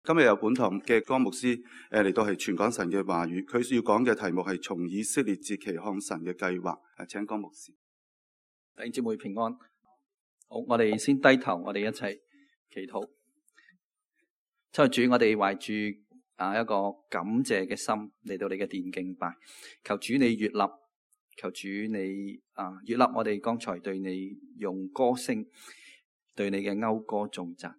今日由本堂嘅江牧師嚟到係傳講神嘅話語，佢要講嘅題目係從以色列節期看神嘅計劃。請江牧師。弟兄姊妹平安。好，我哋先低頭，我哋一齊祈禱。親愛主，我哋懷住一個感謝嘅心嚟到你嘅殿敬拜，求主你悅納，求主你悅納我哋剛才對你用歌聲對你嘅謳歌頌讚。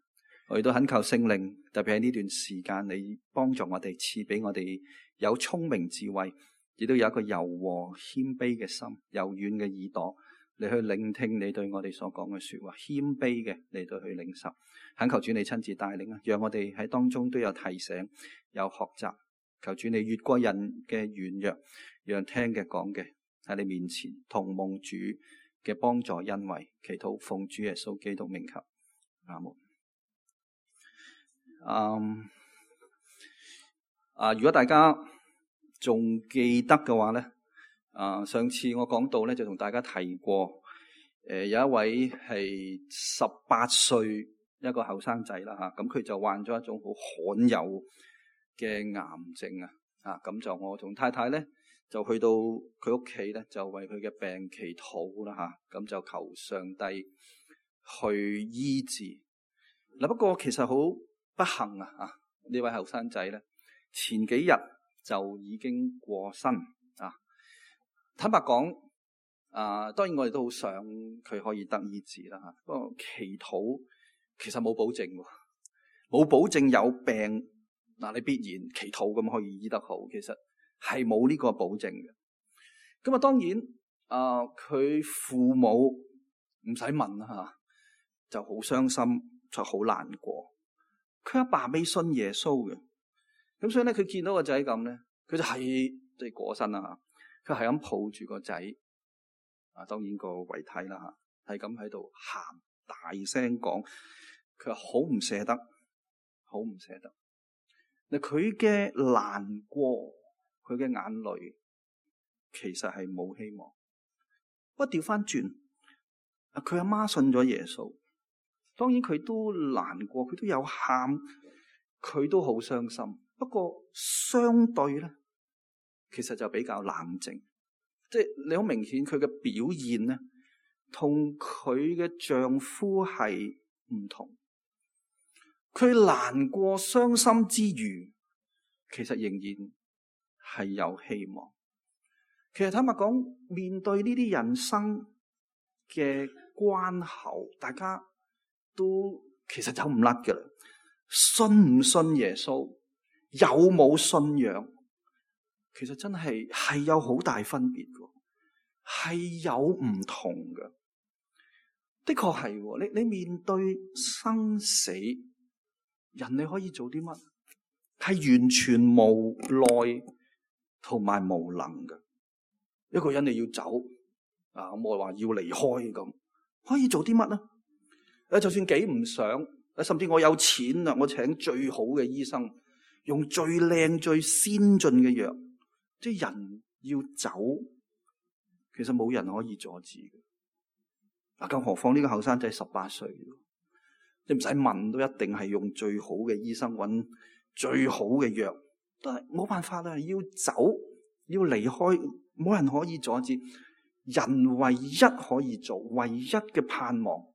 我哋都懇求聖靈，特別喺呢段時間，你幫助我哋，賜俾我哋有聰明智慧，亦都有一個柔和謙卑嘅心，柔軟嘅耳朵，你去聆聽你對我哋所講嘅說話，謙卑嘅嚟到去領受。懇求主你親自帶領啊，讓我哋喺當中都有提醒，有學習。求主你越過人嘅軟弱，讓聽嘅講嘅喺你面前同蒙主嘅幫助恩惠，祈禱奉主耶穌基督名求，阿門。如果大家仲記得嘅話咧，上次我講到咧就同大家提過，有一位係18歲一個後生仔啦吓，咁佢就患咗一種好罕有嘅癌症咁就我同太太咧就去到佢屋企咧，就為佢嘅病祈禱啦吓，咁就求上帝去醫治。嗱，不過其實好不幸呢位後生仔咧，前幾日就已經過身坦白講，當然我哋都好想佢可以得醫治啦吓。不過祈禱其實冇保證，冇保證有病你必然祈禱咁可以醫得好，其實係冇呢個保證嘅。咁當然佢父母唔使問啦吓，就好傷心，就好難過。佢阿爸未信耶穌嘅，咁所以咧佢見到個仔咁咧，佢就即係過身啦吓，佢係咁抱住個仔，當然個遺體啦吓，係咁喺度喊，大聲講，佢話好唔捨得，好唔捨得。嗱，佢嘅難過，佢嘅眼淚，其實係冇希望。不過調翻轉，佢阿媽信咗耶穌。當然佢都難過，佢都有喊，佢都好傷心。不過相對咧，其實就比較冷靜。即係你好明顯佢嘅表現咧，同佢嘅丈夫係唔同。佢難過傷心之餘，其實仍然係有希望。其實坦白講，面對呢啲人生嘅關口，大家都其實走唔甩㗎啦，信唔信耶穌，有冇信仰，其實真係有好大分別嘅，係有唔同嘅。的確係，你面對生死，人你可以做啲乜？係完全無奈同埋無能嘅。一個人你要走咁我話要離開咁，可以做啲乜呢？就算幾唔想，甚至我有錢啦，我請最好嘅醫生，用最靚最先進嘅藥，即係人要走，其實冇人可以阻止嘅。更何況呢個後生仔18歲，你唔使問都一定係用最好嘅醫生揾最好嘅藥，都係冇辦法啦，要走要離開，冇人可以阻止。人唯一可以做，唯一嘅盼望，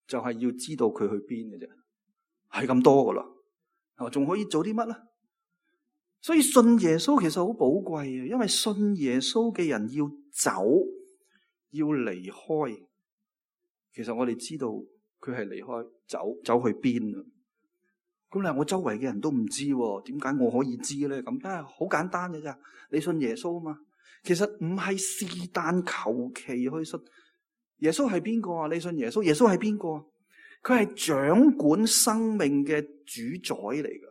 就係要知道佢去邊嘅啫，係咁多噶啦，係嘛？仲可以做啲乜咧？所以信耶穌其實好寶貴嘅，因為信耶穌嘅人要走，要離開。其實我哋知道佢係離開，走去邊啊？咁你話我周圍嘅人都唔知，點解我可以知咧？咁梗係好簡單嘅咋，你信耶穌啊嘛。其實唔係是但求其去信。耶穌係邊個啊？你信耶穌？耶穌係邊個啊？佢係掌管生命嘅主宰嚟噶。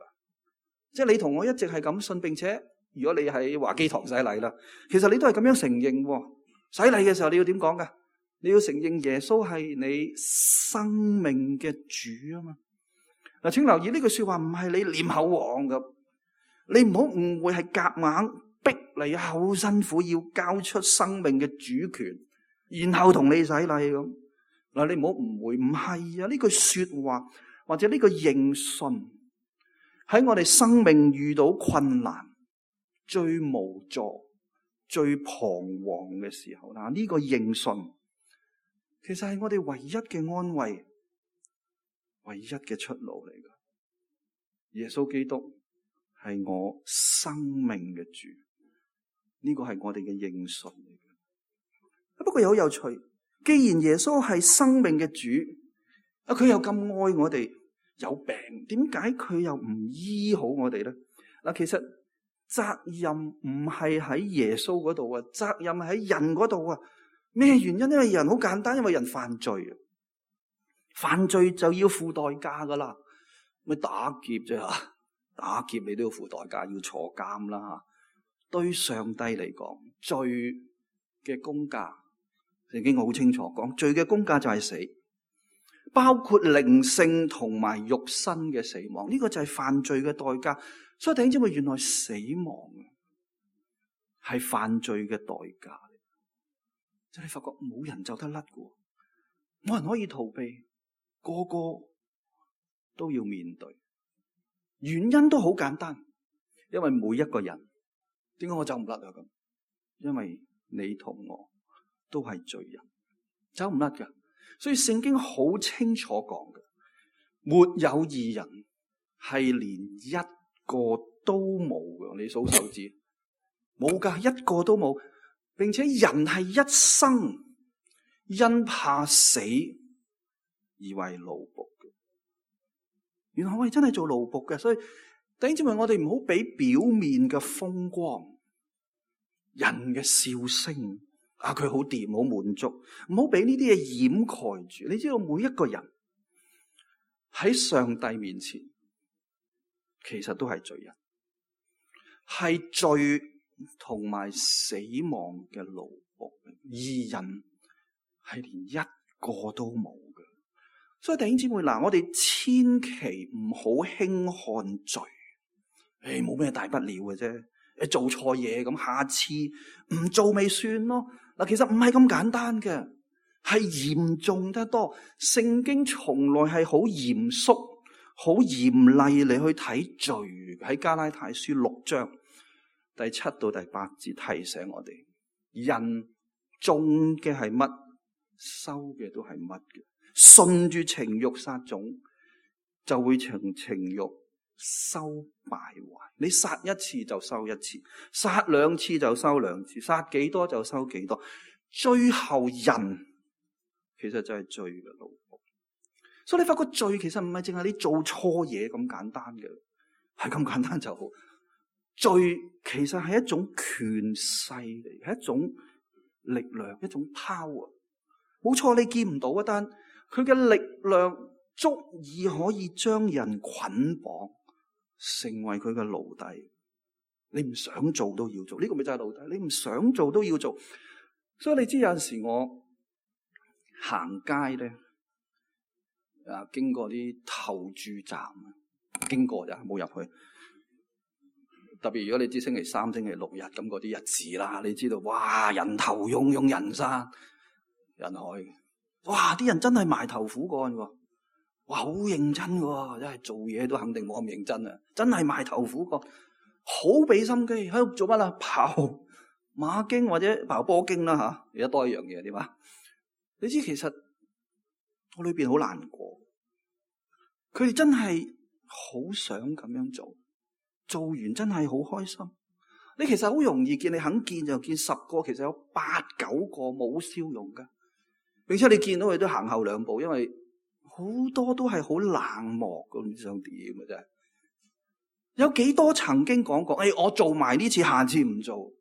即係你同我一直係咁信，並且如果你喺華基堂洗禮啦，其實你都係咁樣承認。洗禮嘅時候你要點講噶？你要承認耶穌係你生命嘅主啊嘛。嗱，請留意呢句說話唔係你念口簧咁，你唔好誤會係夾硬逼你好辛苦要交出生命嘅主權，然後同你洗禮咁。嗱，你唔好誤會，唔係啊！呢句說話或者呢個認信喺我哋生命遇到困難、最無助、最彷徨嘅時候，嗱，呢個認信其實係我哋唯一嘅安慰、唯一嘅出路嚟㗎。耶穌基督係我生命嘅主，呢個係我哋嘅認信嚟嘅。不過又好有趣，既然耶穌係生命嘅主，佢又咁愛我哋，有病點解佢又唔醫好我哋咧？嗱，其實責任唔係喺耶穌嗰度啊，責任喺人嗰度啊。咩原因？因為人好簡單，因為人犯罪啊，犯罪就要付代價噶啦。咪打劫啫吓，打劫你都要付代價，要坐監啦吓。對上帝嚟講，罪嘅工價，聖經好清楚講，罪嘅工價就係死，包括靈性同埋肉身嘅死亡。呢個就係犯罪嘅代價。所以弟兄姊妹，原來死亡係犯罪嘅代價。即係你發覺冇人走得甩嘅，冇人可以逃避，個個都要面對。原因都好簡單，因為每一個人，點解我走唔甩啊？咁，因為你同我都係罪人，走唔甩㗎。所以聖經好清楚講嘅，沒有義人，係連一個都冇嘅。你數手指，冇噶，一個都冇。並且人係一生因怕死而為奴僕嘅。原來我哋真係做奴僕嘅，所以弟兄姊妹，我哋唔好俾表面嘅風光、人嘅笑聲啊，佢好掂、好滿足，唔好俾呢啲嘢掩蓋住。你知道每一個人喺上帝面前，其實都係罪人，係罪同埋死亡嘅奴僕，義人係連一個都冇嘅。所以弟兄姊妹，嗱，我哋千祈唔好輕看罪。冇咩大不了嘅啫，做錯嘢咁，下次唔做咪算咯。嗱，其實唔係咁簡單嘅，係嚴重得多。聖經從來係好嚴肅、好嚴厲嚟去睇罪。喺加拉太書6章第7到第8節提醒我哋，人種嘅係乜，收嘅都係乜嘅。順住情欲撒種，就會從情欲收敗壞。你殺一次就收一次，殺兩次就收兩次，殺幾多就收幾多。最後人其實就係罪嘅奴僕。所以你發覺罪其實唔係淨係你做錯嘢咁簡單嘅，係咁簡單就好。罪其實係一種權勢嚟，係一種力量，一種 power。冇錯，你見唔到啊，但佢嘅力量足以可以將人捆綁，成為佢嘅奴隸。你唔想做都要做，呢個咪就係奴隸。你唔想做都要做。所以你知有陣時我行街咧，經過啲投注站，經過咋，冇入去。特別如果你知星期3、星期6日咁嗰啲日子啦，你知道哇，人頭湧湧，人山人海，哇！啲人真係埋頭苦幹喎，哇，好認真喎，真係做嘢都肯定冇咁認真啊！真係埋頭苦幹，好俾心機喺度做乜啦？刨馬經或者刨波經啦吓，而家多一樣嘢點啊？你知其實我裏邊好難過，佢哋真係好想咁樣做。做完真係好開心。你其實好容易見，你肯見就見10個，其實有8、9個冇笑容噶，並且你見到佢都行後2步，因為好多都係好冷漠噶，唔知想點嘅啫。有幾多曾經講過，我做埋呢次，下次唔做。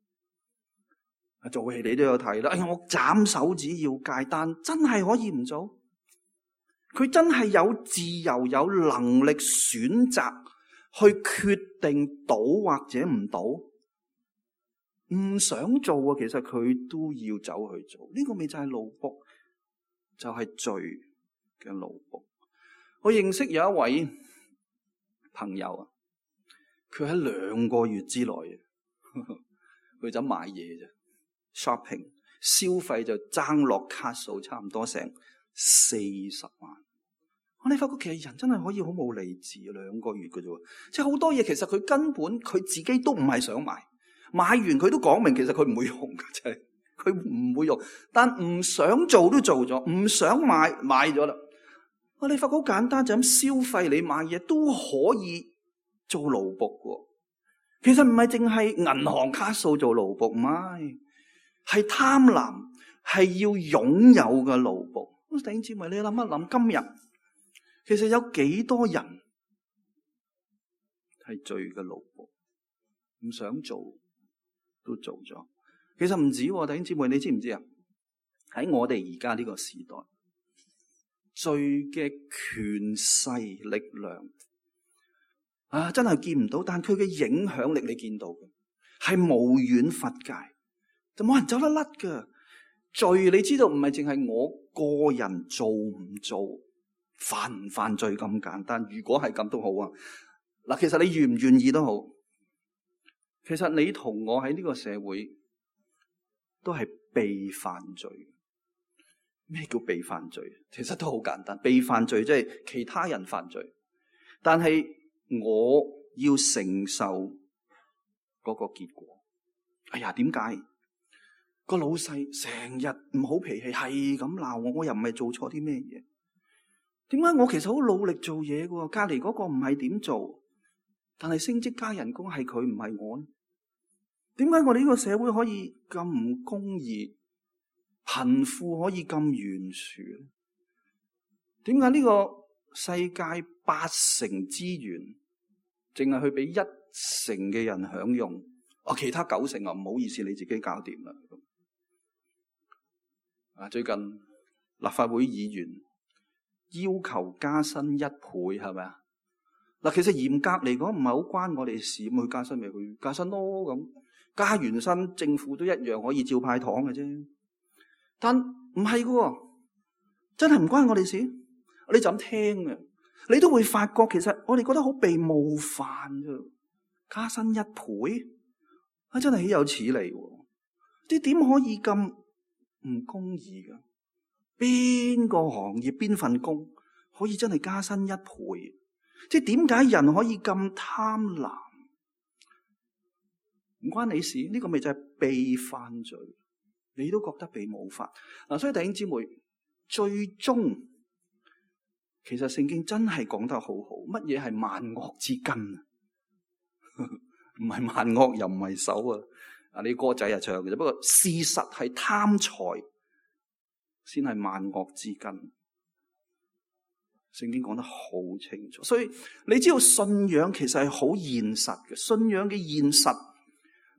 做戲你都有睇啦。我斬手指要戒單，真係可以唔做？佢真係有自由、有能力選擇去決定倒或者唔倒，唔想做啊，其實佢都要走去做。呢個咪就係奴僕，就係罪嘅奴僕。我認識有一位朋友啊，佢喺2個月之內佢就買嘢啫 ，shopping 消費就爭落卡數差唔多成40萬。我哋發覺其實人真係可以好冇理智，2個月嘅啫，即係好多嘢其實佢根本佢自己都唔係想買，買完佢都講明其實佢唔會用嘅，就係佢唔會用，但唔想做都做咗，唔想買咗啦。我哋發覺好簡單，就咁消費，你買嘢都可以做奴僕嘅。其實唔係淨係銀行卡數做奴僕，唔係，係貪婪，係要擁有嘅奴僕。弟兄姊妹，你諗一諗，今日其實有幾多人係罪嘅奴僕，唔想做都做咗。其實唔止，弟兄姊妹，你知唔知啊？喺我哋而家呢個時代，罪嘅權勢力量真係見唔到，但佢嘅影響力你見到嘅係無遠弗屆，就冇人走得甩㗎。罪你知道唔係淨係我個人做唔做，犯唔犯罪咁簡單。如果係咁都好啊，嗱，其實你願唔願意都好，其實你同我喺呢個社會都係被犯罪。咩叫被犯罪？其實都好簡單，被犯罪即係其他人犯罪，但係我要承受嗰個結果。哎呀，點解個老細成日唔好脾氣，係咁鬧我，我又唔係做錯啲咩嘢？點解我其實好努力做嘢嘅？隔籬嗰個唔係點做，但係升職加人工係佢唔係我呢？點解我哋呢個社會可以咁唔公義，貧富可以咁懸殊？點解呢個世界8成資源淨係去俾1成嘅人享用？其他9成唔好意思，你自己搞掂啦。最近立法會議員要求加薪1倍，係咪啊？嗱，其實嚴格嚟講唔係好關我哋事，咁去加薪咪去加薪咯。咁加完薪，政府都一樣可以照派糖嘅啫。但唔係嘅，真係唔關我哋事。你就咁聽嘅，你都會發覺其實我哋覺得好被冒犯啫。加薪1倍，真係豈有此理。你點可以咁唔公義㗎？邊個行業邊份工可以真係加薪1倍？即係點解人可以咁貪婪？唔關你事，呢個咪就係被犯罪，你都覺得被冒犯。所以弟兄姊妹，最終其實聖經真係講得好好，乜嘢係萬惡之根啊？唔係萬惡又唔係手啊！你歌仔唱嘅啫，不過事實係貪財先係萬惡之根。聖經講得好清楚，所以你知道信仰其實係好現實嘅。信仰嘅現實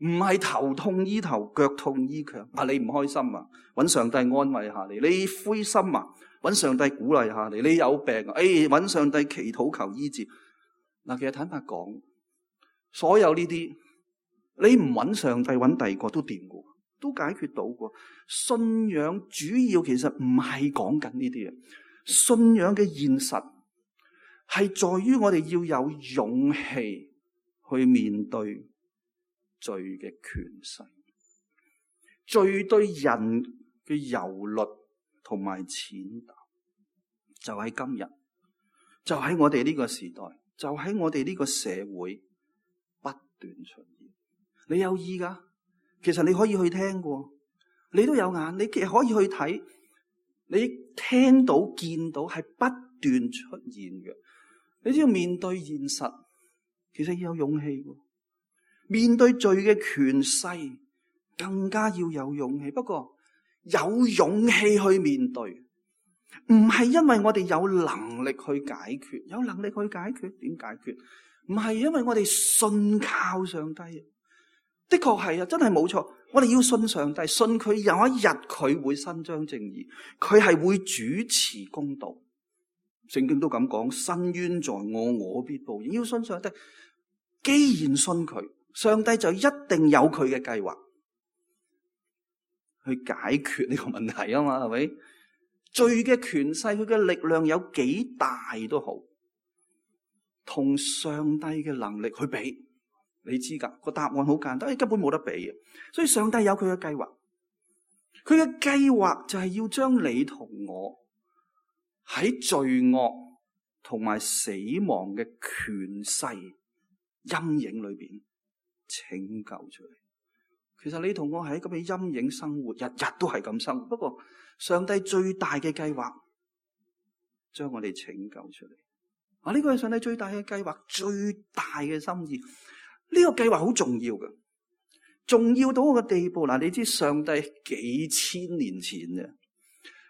唔係頭痛醫頭，腳痛醫腳。你唔開心啊，揾上帝安慰下你；你灰心啊，揾上帝鼓勵下你；你有病啊，揾上帝祈禱求醫治。其實坦白講，所有呢啲你唔揾上帝，揾第二個都掂嘅，都解決到嘅。信仰主要其實唔係講緊呢啲嘢。信仰嘅現實係在於我哋要有勇氣去面對罪嘅權勢，罪對人嘅蹂躪同埋踐踏，就喺今日，就喺我哋呢個時代，就喺我哋呢個社會不斷出現。你有意噶，其實你可以去聽過，你都有眼，你其實可以去睇。你聽到見到係不斷出現嘅，你只要面對現實，其實要有勇氣嘅。面對罪嘅權勢，更加要有勇氣。不過有勇氣去面對，唔係因為我哋有能力去解決，有能力去解決，點解決？唔係因為我哋信靠上帝。的確係啊，真係冇錯。我哋要信上帝，信佢有一日佢會伸張正義，佢係會主持公道。聖經都咁講，伸冤在我，我必報應。要信上帝，既然信佢，上帝就一定有佢嘅計劃去解決呢個問題啊嘛，係咪？罪嘅權勢，佢嘅力量有幾大都好，同上帝嘅能力去比。你知噶，個答案好簡單，根本冇得比嘅。所以上帝有佢嘅計劃，佢嘅計劃就係要將你同我喺罪惡同埋死亡嘅權勢陰影裏邊拯救出嚟。其實你同我喺咁嘅陰影生活，日日都係咁生活。不過上帝最大嘅計劃，將我哋拯救出嚟。呢個係上帝最大嘅計劃，最大嘅心意。呢個計劃好重要嘅，重要到個地步。你知上帝幾千年前嘅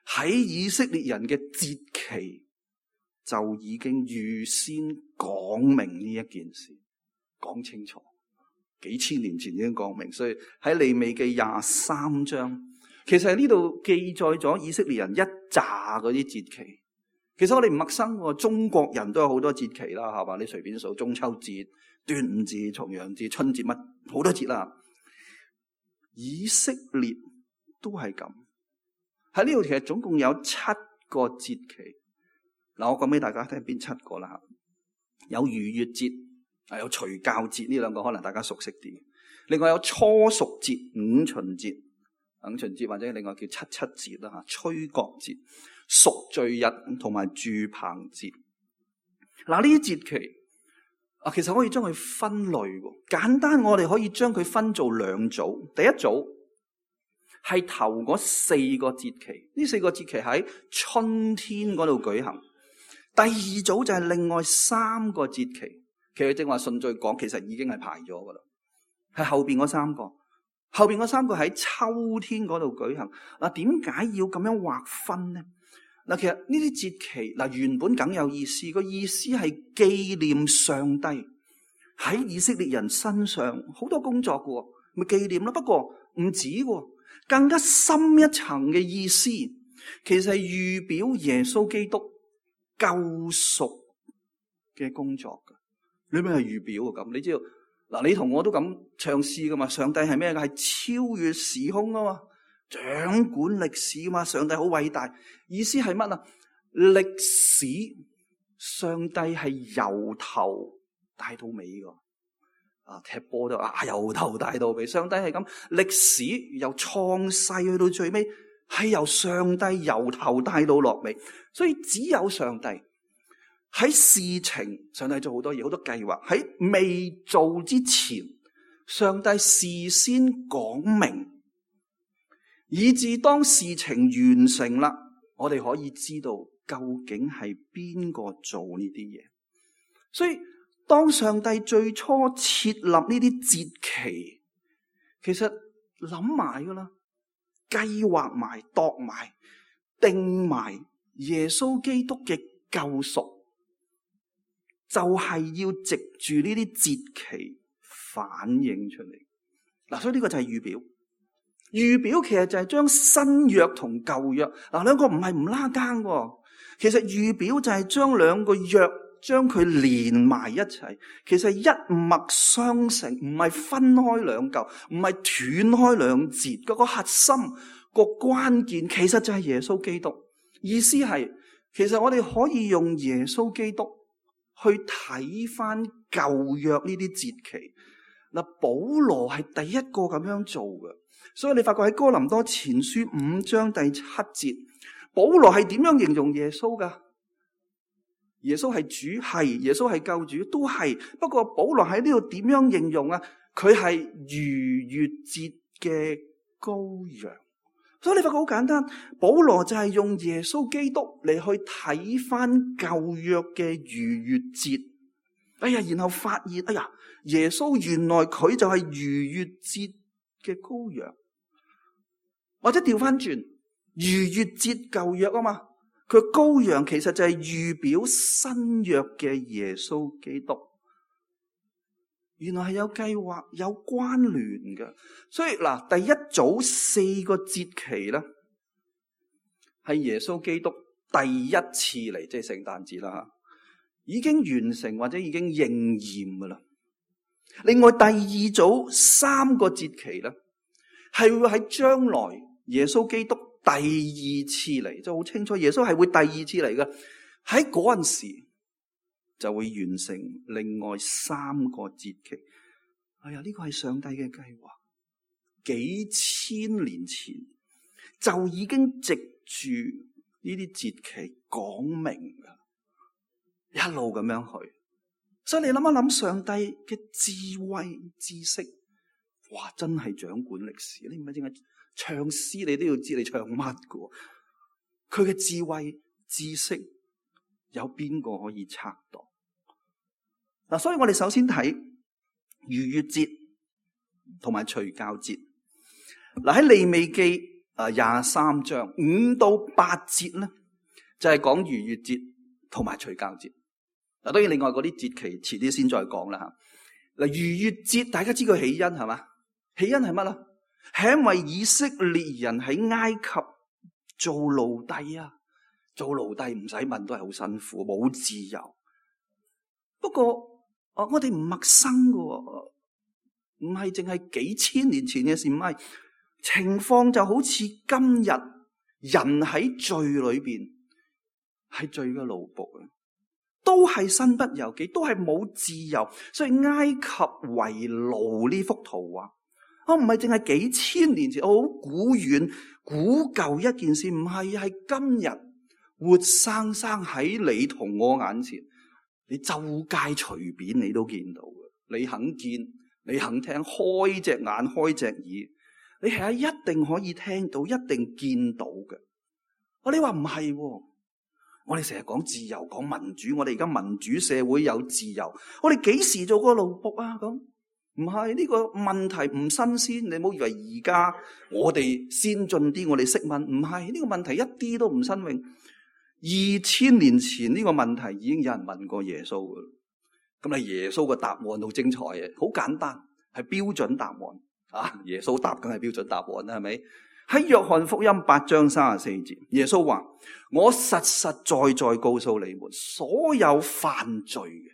喺以色列人嘅節期就已經預先講明呢一件事，講清楚。幾千年前已經講明，所以喺利未記23章，其實喺呢度記載咗以色列人一紮嗰啲節期。其實我哋唔陌生喎，中國人都有好多節期啦，係嘛？你隨便數，中秋節、端午節、重陽節、春節，乜好多節啦。以色列都係咁。喺呢度其實總共有7個節期。嗱，我講俾大家聽邊7個啦。有逾越節，有除酵節，呢兩個可能大家熟悉啲。另外有初熟節、五旬節或者另外叫七節啦，吹角節、贖罪日同埋住棚節。嗱，呢啲節期其實可以將佢分類。簡單，我哋可以將佢分做2組。第一組係頭嗰4個節期，呢4個節期喺春天嗰度舉行。第二組就係另外3個節期，其實正話順序講，其實已經係排咗噶啦，係後邊嗰3個。後邊嗰3個喺秋天嗰度舉行。點解要咁樣劃分呢？其實呢啲節期原本梗有意思，個意思係紀念上帝喺以色列人身上好多工作嘅，咪紀念咯。不過唔止，更加深一層嘅意思，其實係預表耶穌基督救贖嘅工作嘅。你咩係預表啊？咁你知道你同我都咁唱詩噶嘛？上帝係咩噶？係超越時空啊嘛，掌管歷史啊嘛。上帝好偉大，意思係乜啊？歷史上帝係由頭帶到尾噶。踢波都由頭帶到尾，上帝係咁。歷史由創世去到最尾，係由上帝由頭帶到落尾。所以只有上帝喺事情，上帝做好多嘢，好多計劃喺未做之前，上帝事先講明，以至當事情完成啦，我哋可以知道究竟係邊個做呢啲嘢。所以當上帝最初設立呢啲節期，其實諗埋噶啦，計劃埋、度埋、定埋耶穌基督嘅救贖，就係要藉住呢啲節期反映出嚟。所以呢個就係預表。預表其實就係將新約同舊約兩個唔係唔拉更喎。其實預表就係將兩個約將佢連埋一齊，其實一脈相承，唔係分開兩嚿，唔係斷開兩節。嗰個核心、個關鍵其實就係耶穌基督。意思係，其實我哋可以用耶穌基督去睇翻舊約呢啲節期。保羅係第一個咁樣做嘅，所以你發覺喺哥林多前書5章第7節，保羅係點樣形容耶穌噶？耶穌係主，係耶穌係救主，都係。不過保羅喺呢度點樣形容啊？佢係逾越節嘅羔羊。所以你發覺好簡單，保羅就係用耶穌基督嚟去睇翻舊約嘅逾越節。然後發現，耶穌原來佢就係逾越節嘅羔羊，或者調翻轉，逾越節舊約啊嘛，佢羔羊其實就係預表新約嘅耶穌基督。原來係有計劃、有關聯嘅。所以第一組4個節期咧，係耶穌基督第一次嚟，即係聖誕節啦，已經完成或者已經應驗噶啦。另外第二組3個節期咧，係會喺將來耶穌基督第二次嚟，就好清楚耶穌係會第二次嚟嘅。喺嗰陣時就會完成另外3個節期。呢個係上帝嘅計劃，幾千年前就已經藉住呢啲節期講明噶。一路咁樣去。所以你諗一諗上帝嘅智慧知識，哇，真係掌管歷史。你唔係淨係唱詩，你都要知你唱乜㗎。佢嘅智慧知識有邊個可以測度？嗱，所以我哋首先睇逾越節同埋除酵節。嗱，喺利未記23章5到8節咧，就係講逾越節同埋除酵節。嗱，當然另外嗰啲節期遲啲先再講啦吓。嗱，逾越節大家知佢起因係嘛？起因係乜啦？係因為以色列人喺埃及做奴隸啊，做奴隸唔使問都係好辛苦，冇自由。不過我哋唔陌生噶，唔係淨係幾千年前嘅事，唔係。情況就好似今日人喺罪裏邊，係罪嘅奴僕啊，都係身不由己，都係冇自由。所以埃及為奴呢幅圖畫，我唔係淨係幾千年前，好古遠古舊一件事，唔係，係今日活生生喺你同我眼前，你周街隨便你都見到嘅。你肯見，你肯聽，開隻眼開隻耳，你係一定可以聽到，一定見到嘅。你話唔係？我哋成日講自由，講民主，我哋而家民主社會有自由，我哋幾時做過奴僕啊？咁唔係，呢個問題唔新鮮。你唔好以為而家我哋先進啲，我哋識問，唔係，呢個問題一啲都唔新穎。2000年前呢個問題已經有人問過耶穌嘅，咁你耶穌嘅答案好精彩嘅，好簡單，係標準答案。耶穌答梗係標準答案啦，係咪？喺約翰福音8章34節，耶穌話：我實實在在告訴你們，所有犯罪嘅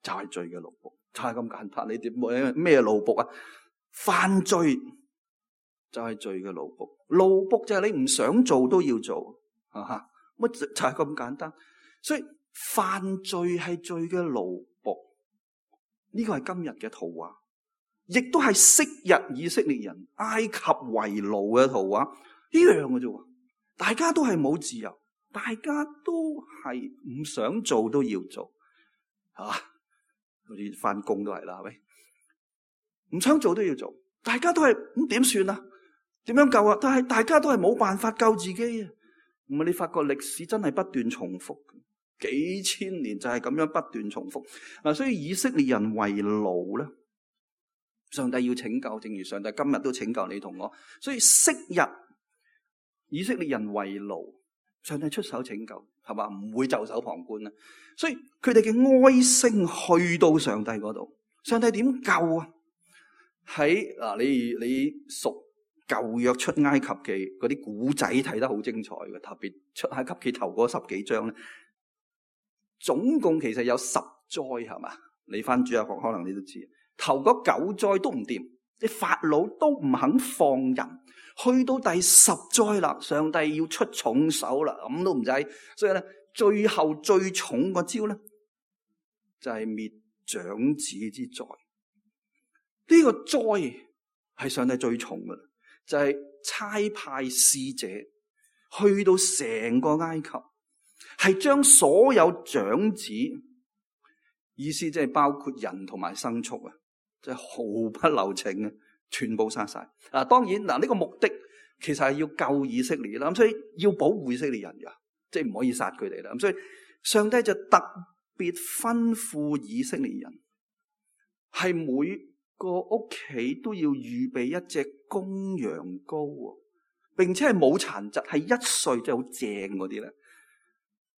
就係罪嘅奴僕，就係咁簡單。你哋咩奴僕啊？犯罪就係罪嘅奴僕，奴僕就係你唔想做都要做，乜就係咁簡單。所以犯罪係罪嘅奴僕，呢個係今日嘅圖畫。亦都係昔日以色列人埃及為奴嘅圖畫，一樣嘅啫。大家都係冇自由，大家都係唔想做都要做，好似翻工都係啦，係咪？唔想做都要做，大家都係咁點算啊？點樣救啊？但係大家都係冇辦法救自己啊！唔係，你發覺歷史真係不斷重複，幾千年就係咁樣不斷重複嗱。所以以色列人為奴咧，上帝要拯救，正如上帝今日都拯救你同我。所以昔日以色列人為奴，上帝出手拯救，係嘛？唔會袖手旁觀啊。所以佢哋嘅哀聲去到上帝嗰度，上帝點救啊？喺你熟舊約出埃及記嗰啲古仔睇得好精彩嘅，特別出埃及記頭嗰10幾章咧，總共其實有10災，係嘛？你翻主日學可能你都知。頭嗰9災都唔掂，啲法老都唔肯放人，去到第10災啦，上帝要出重手啦，咁都唔使，所以咧最後最重個招咧就係滅長子之災。呢個災係上帝最重噶啦，就係差派使者去到成個埃及，係將所有長子，意思即係包括人同埋牲畜啊，即係毫不留情嘅，全部殺晒。當然呢個目的其實係要救以色列啦，咁所以要保護以色列人噶，即係唔可以殺佢哋啦。咁所以上帝就特別吩咐以色列人，係每個屋企都要預備一隻公羊羔，並且係冇殘疾，係1歲，即係好正嗰啲咧，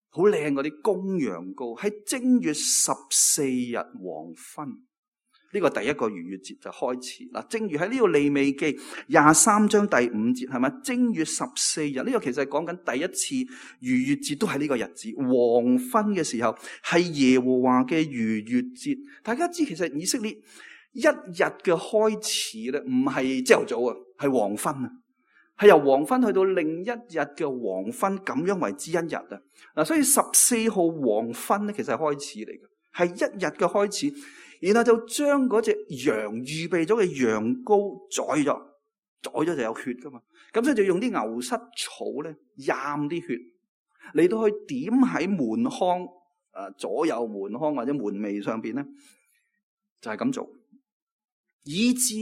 好靚嗰啲公羊羔，喺正月14日黃昏，呢個第一個逾越節就開始啦。正如喺呢個利未記23章第5節，係咪？正月14日，呢個其實係講緊第一次逾越節，都係呢個日子，黃昏嘅時候係耶和華嘅逾越節。大家知其實以色列一日嘅開始咧，唔係朝頭早啊，係黃昏啊，係由黃昏去到另一日嘅黃昏，咁樣為之一日啊。所以14號黃昏咧，其實係開始嚟嘅，係一日嘅開始。然後就將嗰隻羊預備咗嘅羊羔宰咗就有血噶嘛，咁所以就用啲牛膝草咧，蘸啲血嚟到去點喺門框左右門框或者門楣上邊咧，就係咁做，以致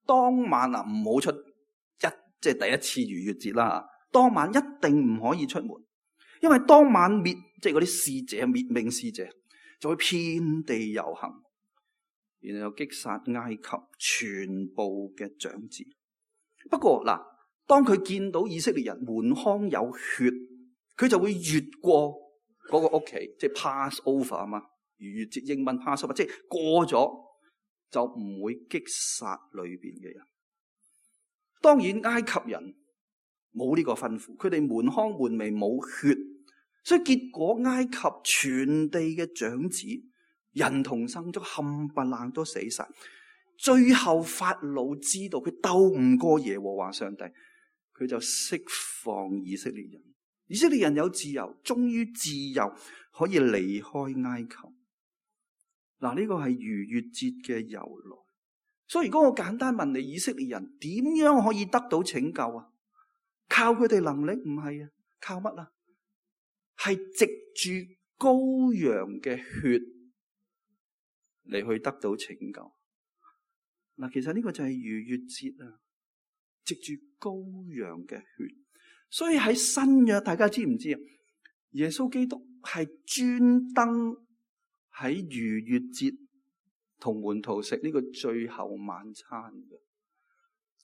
當晚唔好出即係第一次逾越節啦。當晚一定唔可以出門，因為當晚即係嗰啲使者滅命使者就會遍地遊行，然後擊殺埃及全部嘅長子。不過嗱，當佢見到以色列人門框有血，佢就會越過嗰個屋企，即係 pass over 啊嘛。逾越節英文 pass over， 即係過咗就唔會擊殺裏邊嘅人。當然埃及人冇呢個吩咐，佢哋門框門楣冇血，所以結果埃及全地嘅長子人同牲畜冚唪唥都死晒。最後法老知道佢鬥唔過耶和華上帝，佢就釋放以色列人。以色列人有自由，終於自由可以離開埃及。嗱，呢個係逾越節嘅由來。所以如果我簡單問你，以色列人點樣可以得到拯救啊？靠佢哋能力？唔係啊，靠乜啊？係藉住羔羊嘅血嚟去得到拯救。嗱，其實呢個就係逾越節啊，藉住羔羊嘅血。所以喺新約，大家知唔知啊？耶穌基督係專登喺逾越節同門徒食呢個最後晚餐嘅。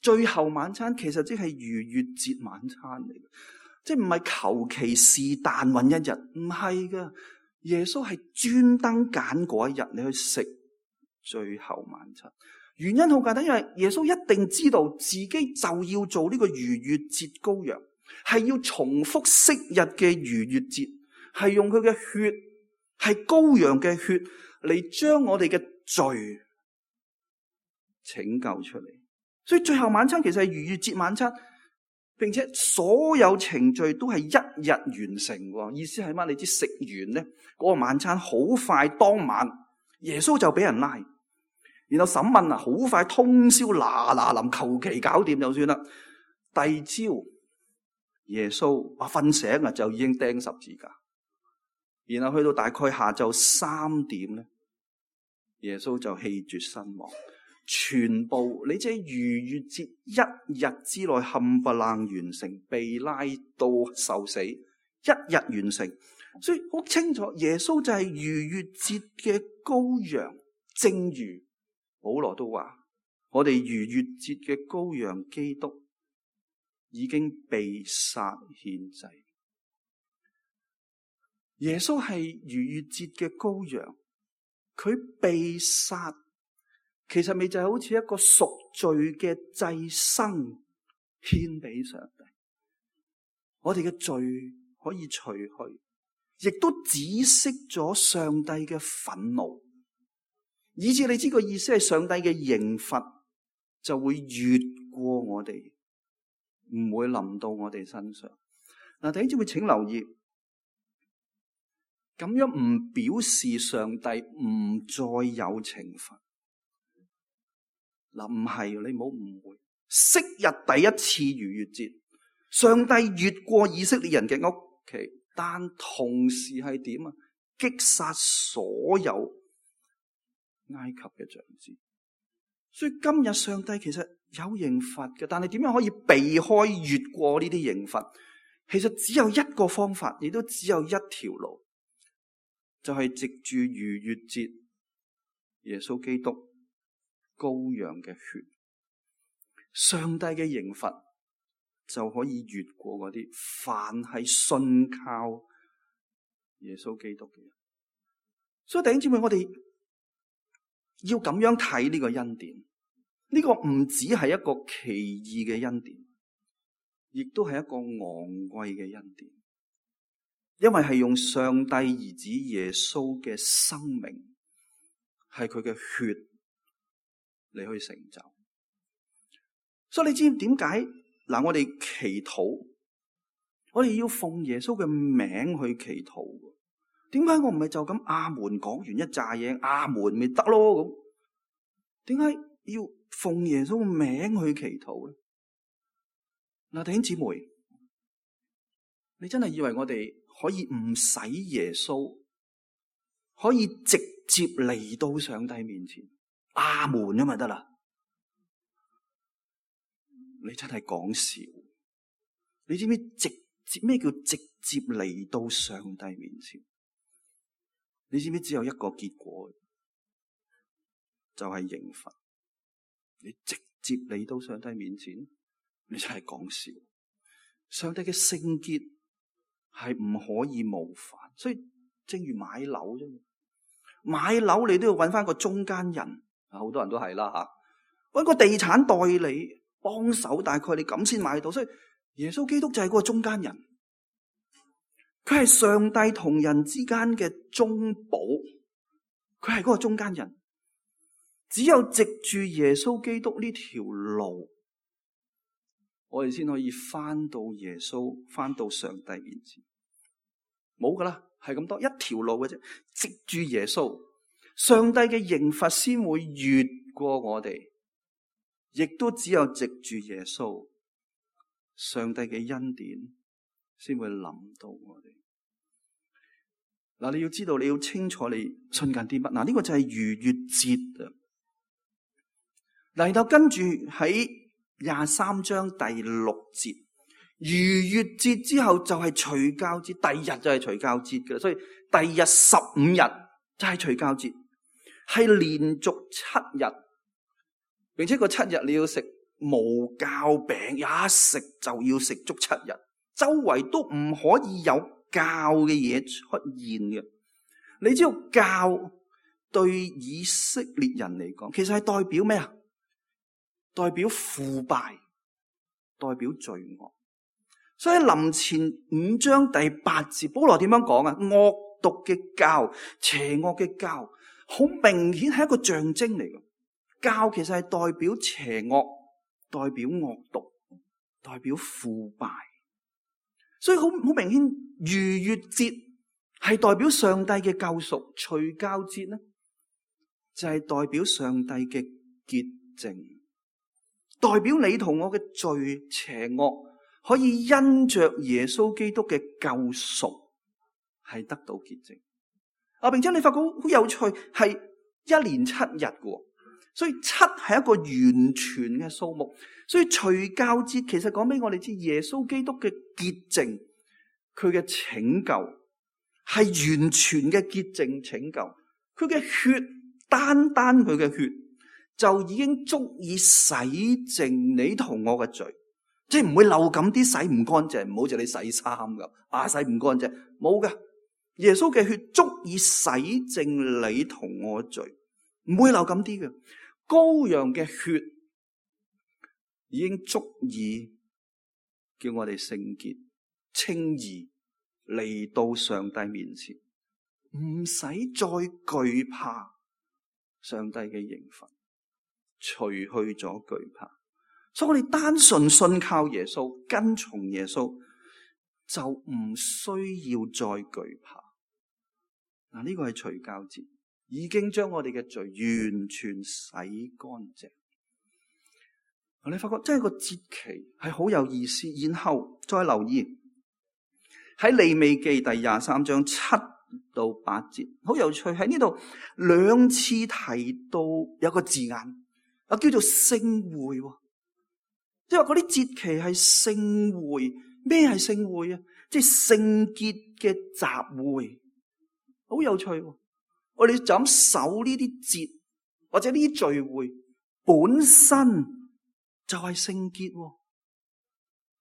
最後晚餐其實即係逾越節晚餐嚟嘅，即係唔係求其是但揾一日，唔係噶。耶穌係專登揀嗰一日你去食最後晚餐。原因好簡單，因為耶穌一定知道自己就要做呢個逾越節羔羊，係要重複昔日嘅逾越節，係用佢嘅血，係羔羊嘅血嚟將我哋嘅罪拯救出嚟。所以最後晚餐其實係逾越節晚餐，並且所有程序都係一日完成。意思係乜？你知食完咧，嗰個晚餐好快，當晚耶穌就俾人拉，然後審問啊，好快通宵嗱臨，求其搞掂就算啦。第二朝耶穌瞓醒啊，就已經釘十字架，然後去到大概下晝3點咧，耶穌就氣絕身亡。全部你即係逾越節一日之內冚唪唥完成，被拉到受死，一日完成。所以好清楚，耶穌就係逾越節嘅羔羊。正如保羅都話，我哋逾越節嘅羔羊基督已經被殺獻祭。耶穌係逾越節嘅羔羊，佢被殺。其實咪就係好似一個贖罪嘅祭牲獻俾上帝，我哋嘅罪可以除去，亦都止息咗上帝嘅憤怒，以至你知個意思係上帝嘅刑罰就會越過我哋，唔會臨到我哋身上。嗱，弟兄姊妹請留意，咁樣唔表示上帝唔再有懲罰。嗱，唔係，你唔好誤會。昔日第一次逾越節，上帝越過以色列人嘅屋企，但同時係點啊？擊殺所有埃及嘅長子。所以今日上帝其實有刑罰嘅，但係點樣可以避開越過呢啲刑罰？其實只有一個方法，亦都只有一條路，就係藉住逾越節，耶穌基督羔羊嘅血，上帝嘅刑罰就可以越過嗰啲凡係信靠耶穌基督嘅人。所以弟兄姊妹，我哋要咁樣睇呢個恩典，呢個唔只係一個奇異嘅恩典，亦都係一個昂貴嘅恩典，因為係用上帝兒子耶穌嘅生命，係佢嘅血嚟去成就。所以你知點解嗱？我哋祈禱，我哋要奉耶穌嘅名去祈禱。點解我唔係就咁阿門講完一紮嘢，阿門咪得咯咁？點解要奉耶穌嘅名去祈禱咧？嗱，弟兄姊妹，你真係以為我哋可以唔使耶穌可以直接嚟到上帝面前，阿門咁咪得啦。你真係講笑，你知唔知直接咩叫直接嚟到上帝面前？你知唔知只有一個結果，就係刑罰。你直接嚟到上帝面前，你真係講笑。上帝嘅聖潔係唔可以冒犯，所以正如買樓啫，買樓你都要揾翻個中間人，好多人都係啦吓，揾個地產代理幫手，大概你咁先買到。所以耶穌基督就係嗰個中間人，佢係上帝同人之間嘅中保，佢係嗰個中間人。只有藉住耶穌基督呢條路，我哋先可以翻到耶穌，翻到上帝面前。冇噶啦，係咁多一條路嘅啫。藉住耶穌，上帝嘅刑罰先會越過我哋，亦都只有藉住耶穌，上帝嘅恩典先會臨到我哋。嗱，你要知道，你要清楚你信緊啲乜。嗱，呢個就係逾越節啊。嚟到跟住喺23章第6節，逾越節之後就係除酵節，第二日就係除酵節嘅，所以第二日15日就係除酵節，係連續7日，並且個7日你要食無酵餅，一食就要食足7日，周圍都唔可以有酵嘅嘢出現嘅。你知道酵對以色列人嚟講，其實係代表咩啊？代表腐敗，代表罪惡。所以臨前5章第8節，保羅點樣講啊？惡毒嘅酵，邪惡嘅酵，好明顯係一個象徵嚟嘅。酵其實係代表邪惡，代表惡毒，代表腐敗。所以好明顯，逾越節係代表上帝嘅救贖，除酵節呢就係代表上帝嘅潔淨。代表你同我嘅罪邪惡可以因着耶穌基督嘅救贖係得到潔淨。並且你發覺好有趣，係1連7日嘅，所以7係一個完全嘅數目。所以除酵節其實講俾我哋知，耶穌基督嘅潔淨，佢嘅拯救係完全嘅潔淨拯救。佢嘅血，單單佢嘅血就已經足以洗淨你同我嘅罪，即係唔會漏咁啲洗唔乾淨，唔好似你洗衫咁，洗唔乾淨，冇㗎。耶穌嘅血足以洗淨你同我嘅罪，唔會漏咁啲嘅。羔羊嘅血已經足以叫我哋聖潔、稱義，嚟到上帝面前，唔使再懼怕上帝嘅刑罰。除去咗懼怕，所以我哋單純信靠耶穌，跟從耶穌，就唔需要再懼怕。嗱，呢個係除酵節，已經將我哋嘅罪完全洗乾淨。你發覺真係個節期係好有意思。然後再留意喺利未記第23章7到8節，好有趣。喺呢度2次提到有個字眼。叫做聖會，即係話嗰啲節期係聖會。咩係聖會啊？即係聖潔嘅集會，好有趣。我哋就咁守呢啲節或者呢啲聚會，本身就係聖潔。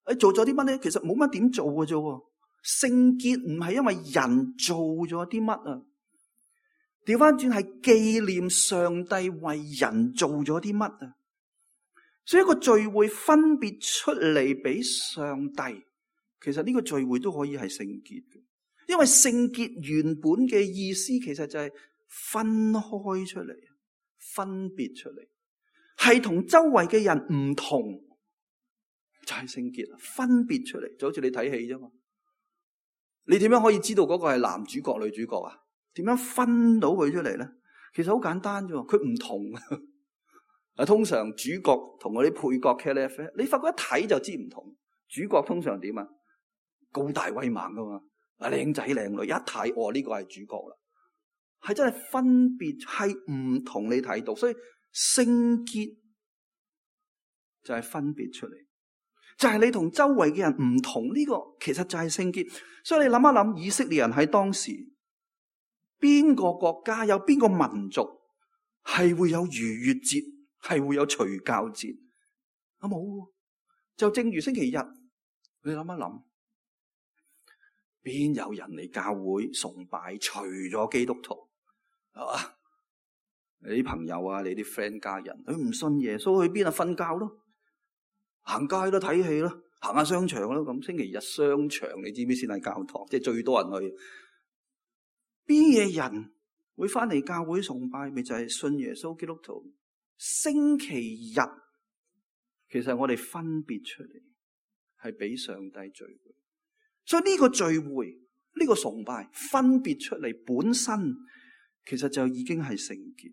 你做咗啲乜咧？其實冇乜點做嘅啫。聖潔唔係因為人做咗啲乜啊？調翻轉係紀念上帝為人做咗啲乜啊？所以一個聚會分別出嚟俾上帝，其實呢個聚會都可以係聖潔嘅，因為聖潔原本嘅意思其實就係分開出嚟，分別出嚟，係同周圍嘅人唔同，就係聖潔啦。分別出嚟就好似你睇戲啫嘛，你點樣可以知道嗰個係男主角女主角啊？點樣分到佢出嚟咧？其實好簡單啫，佢唔同啊。通常主角同嗰啲配角茄喱啡，你發覺一睇就知唔同。主角通常點啊？高大威猛噶嘛，靚仔靚女，一睇呢個係主角啦。係真係分別，係唔同你睇到。所以聖潔就係分別出嚟，就係你同周圍嘅人唔同，呢個其實就係聖潔。所以你諗一諗，以色列人喺當時邊個國家有邊個民族係會有逾越節，係會有除酵節？啊冇，就正如星期日，你諗一諗，邊有人嚟教會崇拜？除咗基督徒，係嘛？你啲朋友啊，你啲 friend 家人，佢唔信耶穌，去邊啊？瞓覺咯，行街咯，睇戲咯，行下商場咯。咁星期日商場，你知唔知先係教堂？即係最多人去。邊嘢人會翻嚟教會崇拜？咪就係信耶穌基督徒。星期日其實我哋分別出嚟，係俾上帝聚會。所以呢個聚會，呢個崇拜分別出嚟本身，其實就已經係聖潔。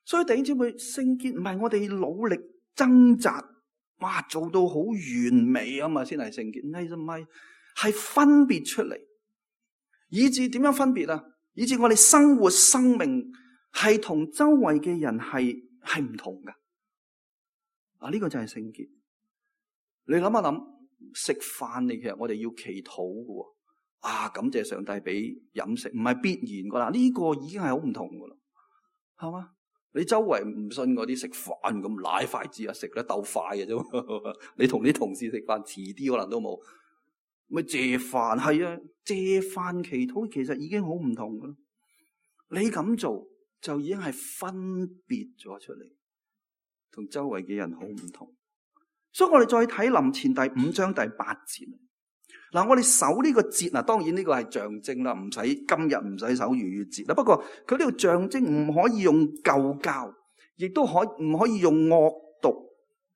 所以弟兄姊妹，聖潔唔係我哋努力掙扎，哇，做到好完美啊嘛，先係聖潔。唔係，係分別出嚟，以致點樣分別啊？以致我哋生活生命係同周圍嘅人係唔同噶。啊，呢個就係聖潔。你諗一諗，食飯你其實我哋要祈禱嘅。啊，感謝上帝俾飲食，唔係必然噶啦。呢個已經係好唔同噶啦，係嘛？你周圍唔信嗰啲食飯咁舐筷子啊，食得鬥快嘅啫。你同啲同事食飯遲啲可能都冇，咪謝飯係啊，謝飯祈禱其實已經好唔同噶啦。你咁做就已經係分別咗出嚟，同周圍嘅人好唔同。所以我哋再睇林前第5章第8節。嗱，我哋守呢個節嗱，當然呢個係象徵啦，唔使今日唔使守逾越節啦。不過佢呢個象徵唔可以用舊教，亦都唔可以用惡毒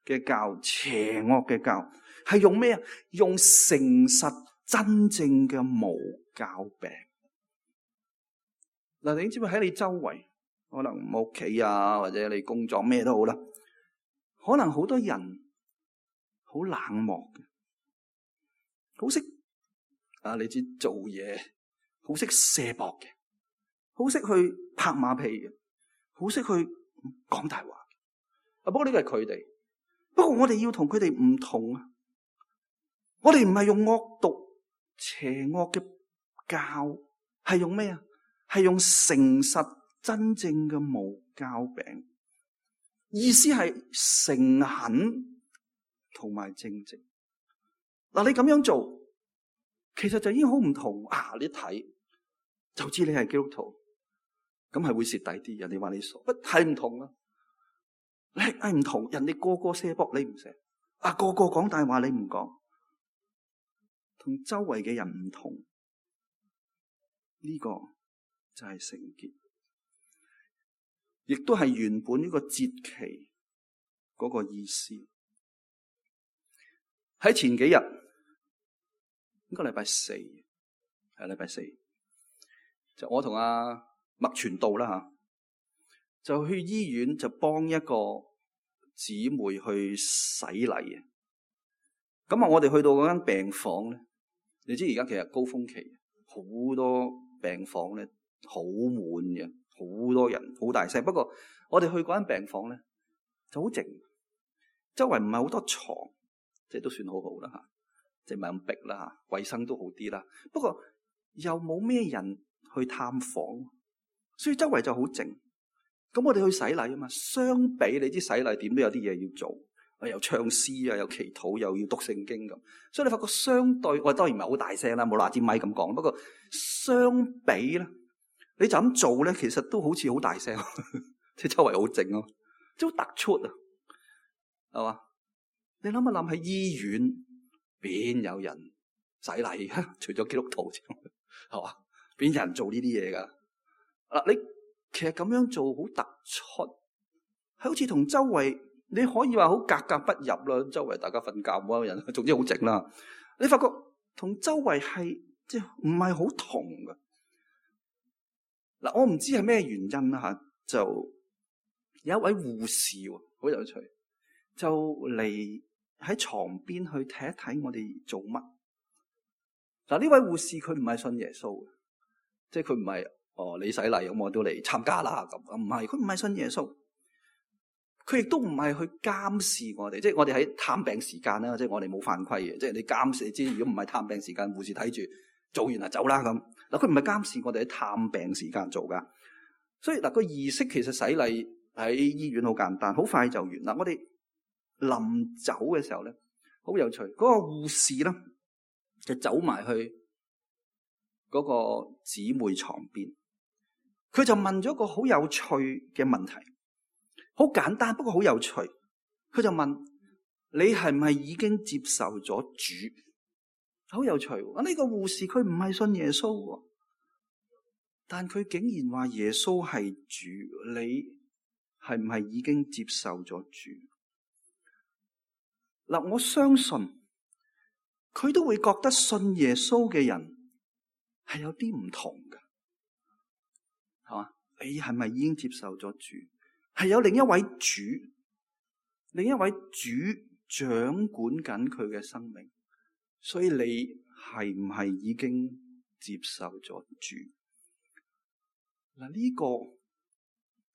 嘅教、邪惡嘅教，係用咩啊？用誠實真正嘅無酵餅。嗱，你知唔知喺你周圍，可能屋企啊，或者你工作咩都好啦，可能好多人好冷漠嘅。好識啊！你知做嘢，好識卸膊嘅，好識去拍馬屁嘅，好識去講大話。啊，不過呢個係佢哋。不過我哋要同佢哋唔同啊！我哋唔係用惡毒、邪惡嘅教，係用咩啊？係用誠實真正嘅無酵餅。意思係誠懇同埋正直。嗱，你咁樣做，其實就已經好唔同啊！你睇就知你係基督徒，咁係會蝕底啲。人哋話你傻，不係唔同啊？你係唔同，人哋個個卸膊你唔卸，啊個個講大話你唔講，同周圍嘅人唔同，呢個就係聖潔，亦都係原本呢個節期嗰個意思。喺前幾日，應該禮拜四，係禮拜四，就我同阿麥傳道啦吓，就去醫院就幫一個姊妹去洗禮。咁啊，我哋去到嗰間病房咧，你知而家其實高峰期，好多病房咧好滿嘅，好多人，好大聲。不過我哋去嗰間病房咧就好靜，周圍唔係好多床。即係都算好好啦吓，即係唔係咁逼啦吓，衛生都好啲啦。不過又冇咩人去探訪，所以周圍就好靜。咁我哋去洗禮啊嘛，相比你知洗禮點都有啲嘢要做，又唱詩啊，又祈禱，又要讀聖經咁。所以你發覺相對，我當然唔係好大聲啦，冇拿支咪咁講。不過相比咧，你就咁做咧，其實都好似好大聲，即係周圍好靜咯，即係好突出啊，係嘛？你諗一諗，喺醫院邊有人洗禮？除咗基督徒之外，係嘛？邊有人做呢啲嘢噶？嗱，你其實咁樣做好突出，係好似同周圍你可以話好格格不入啦。周圍大家瞓覺冇乜人，總之好靜啦。你發覺同周圍係即係唔係好同噶？嗱，我唔知係咩原因啦吓，就有一位護士好有趣，就嚟喺床邊去睇一睇我哋做乜。嗱，呢位護士佢唔係信耶穌嘅，即係佢唔係你洗禮咁我都嚟參加啦咁。唔係，佢唔係信耶穌，佢亦都唔係去監視我哋，即係我哋喺探病時間啦，即係我哋冇犯規嘅，即係你監視，你知如果唔係探病時間，護士睇住做完就走啦咁。嗱，佢唔係監視我哋喺探病時間做噶，所以嗱個儀式其實洗禮喺醫院好簡單，好快就完。嗱，我哋臨走嘅時候咧，好有趣，嗰個護士咧就走埋去嗰個姊妹床邊，佢就問咗個好有趣嘅問題，好簡單不過好有趣。佢就問你係唔係已經接受咗主？好有趣喎！呢個護士佢唔係信耶穌喎，但佢竟然話耶穌係主。你係唔係已經接受咗主？嗱，我相信佢都會覺得信耶穌嘅人係有啲唔同嘅，係嘛？你係咪已經接受咗主？係有另一位主，另一位主掌管緊佢嘅生命，所以你係唔係已經接受咗主？嗱，呢個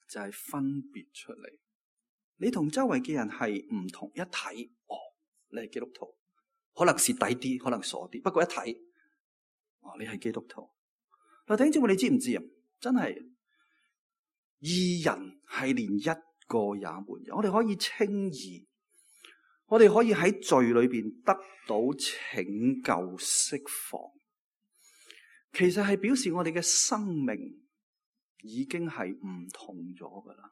就係分別出嚟。你同周圍嘅人係唔同，一睇，你係基督徒，可能蝕底啲，可能傻啲，不過一睇，你係基督徒。嗱，弟兄姊妹，你知唔知啊？真係義人係連一個也沒有。我哋可以稱義，我哋可以喺罪裏邊得到拯救釋放，其實係表示我哋嘅生命已經係唔同咗噶啦，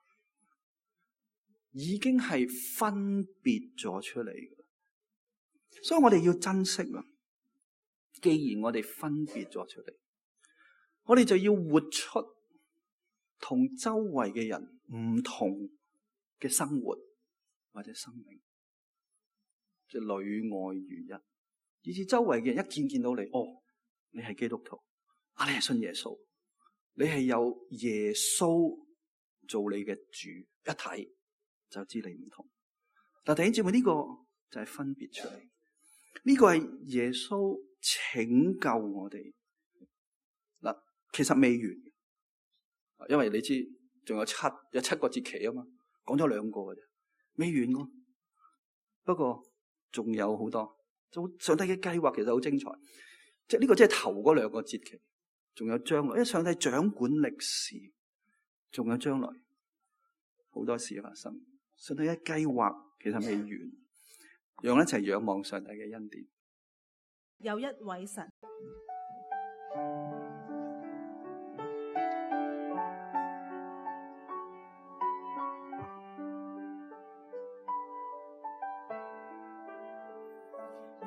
已經係分別咗出嚟噶。所以我哋要珍惜啊！既然我哋分別咗出嚟，我哋就要活出同周圍嘅人唔同嘅生活或者生命，即係裏外如一，以至周圍嘅人一見到你，你係基督徒，你係信耶穌，你係有耶穌做你嘅主，一睇就知你唔同。但弟兄姊妹，呢個就係分別出嚟。呢個係耶穌拯救我哋。嗱，其實未完，因為你知仲有七個節期啊嘛，講咗2個嘅啫，未完喎。不過仲有好多，上帝嘅計劃其實好精彩。即係呢個即係頭嗰2個節期，仲有將來，因為上帝掌管歷史，仲有將來好多事發生。上帝嘅計劃其實未完。讓我一齊仰望上帝嘅恩典。有一位神，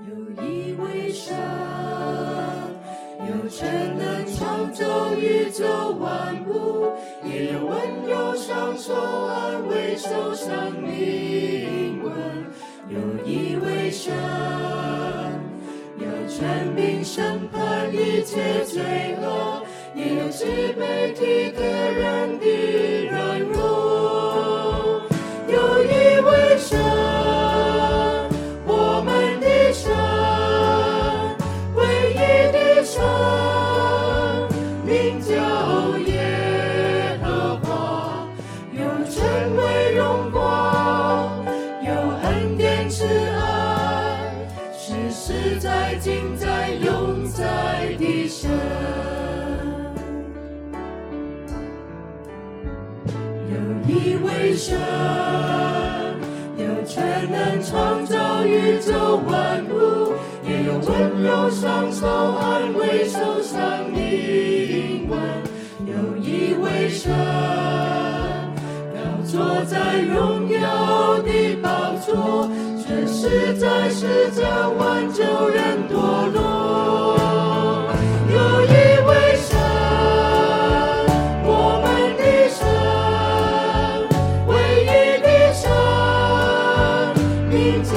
有一位神，有全能創造宇宙萬物，也有溫柔雙手安慰受傷靈魂。有一位神，有權柄審判一切罪惡，也有慈悲體貼人的軟弱。有一位神，我們的神，唯一的神，名叫耶和華，有尊貴榮光，有恩典慈愛，是實在今在永在的神。有一位神，有全能創造宇宙萬物，也有溫柔雙手安慰受傷靈魂。有一位神，高坐在榮耀的寶座，卻實在是將挽救人墮落。有一位神，我們的神，唯一的神，名叫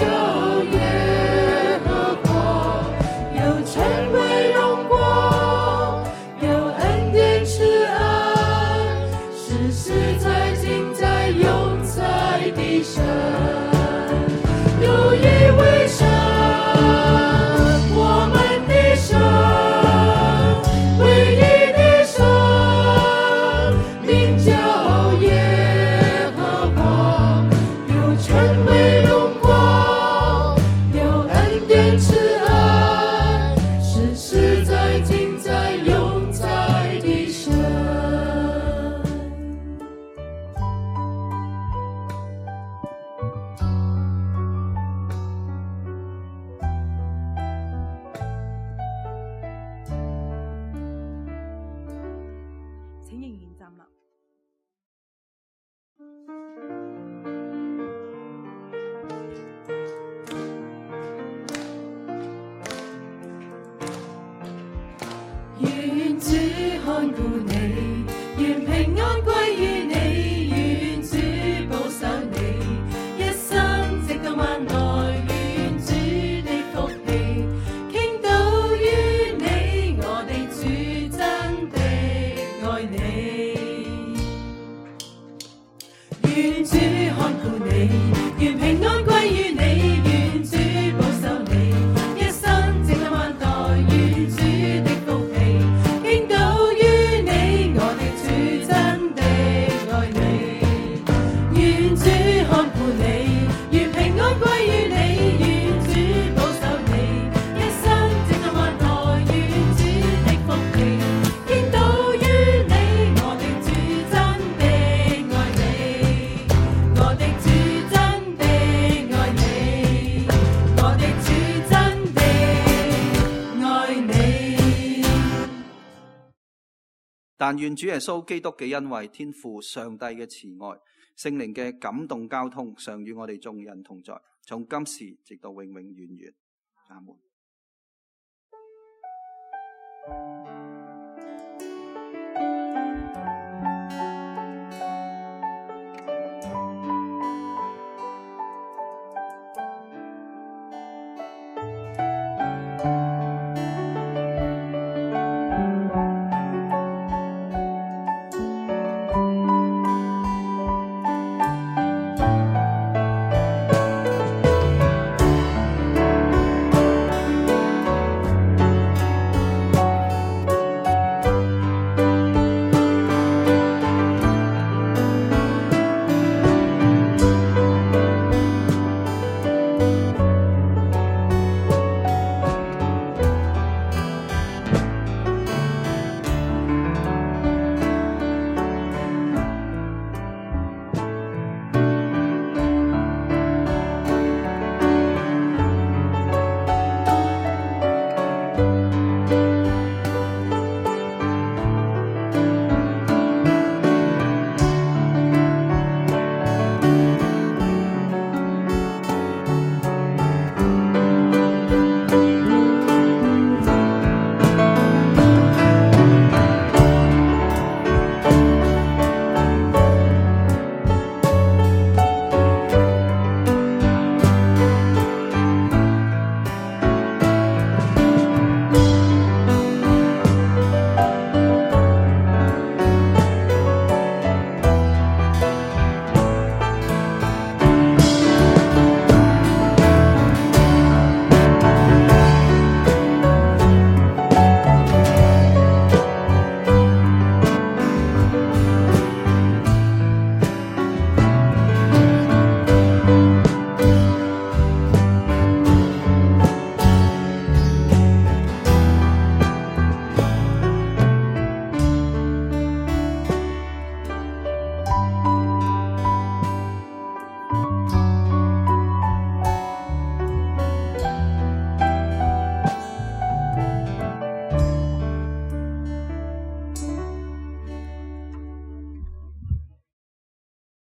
耶和華，有權威榮光，有恩典慈愛，是實在今在永在的神。有一位神，我們願主看顧你，願平安歸於你，願主保守你，一生直到萬代，願主的福氣傾倒於你，我的主真的愛你，願主看顧你，願平安歸於你，願主保守你，一生直到萬代，願主的福氣傾倒於你，我的主真的愛你，我的主真的愛你，我的主真的愛你。但願主耶穌基督嘅恩惠、天父上帝嘅慈愛、聖靈嘅感動交通，常與我哋眾人同在，從今時直到永永遠遠。阿門。